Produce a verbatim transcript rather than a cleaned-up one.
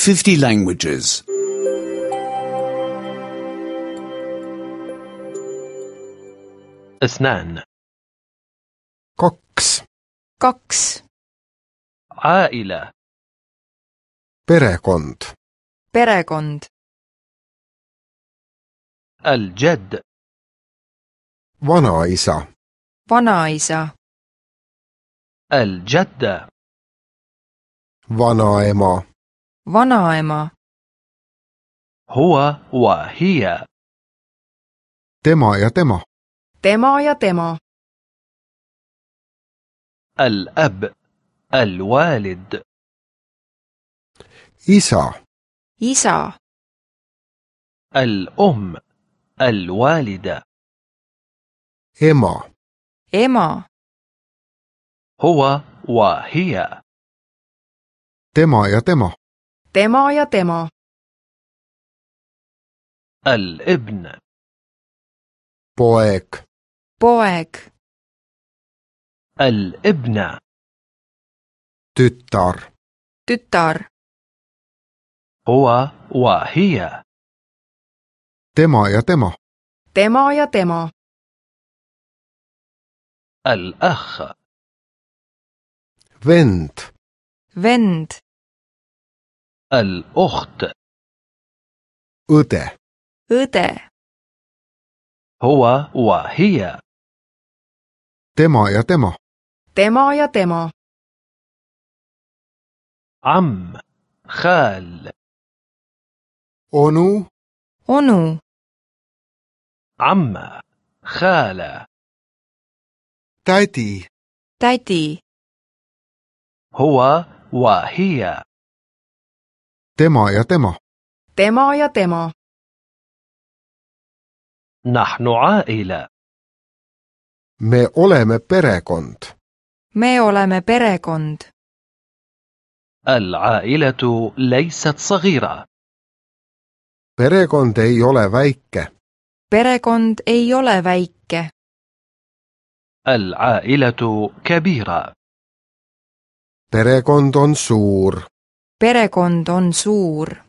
fifty languages. اثنان. kaks, kaks, عائلة. perekond, perekond, الجد. vanaisa, vanaisa, الجدة. vanaema, vanaema, هو وهي. tema ja tema, tema ja tema, الأب. الوالد. isa, isa, الأم. الوالدة. ema, ema, هو وهي. tema ja tema, tema ja tema, الابن. poeg, poeg, الابنة. tütar, tütar, هو وهي. tema ja tema, tema ja tema, الأخ. vend, vend, الأخت. õde, õde, هو وهي. tema ja tema, tema ja tema, عم. خال. onu, onu, عمة. خالة. tädi, tädi, هو وهي. tema ja tema, tema ja tema, نحن عائلة. me oleme perekond, me oleme perekond, العائلة ليست صغيرة. perekond ei ole väike, perekond ei ole väike, العائلة كبيرة. perekond on suur. perekond on suur.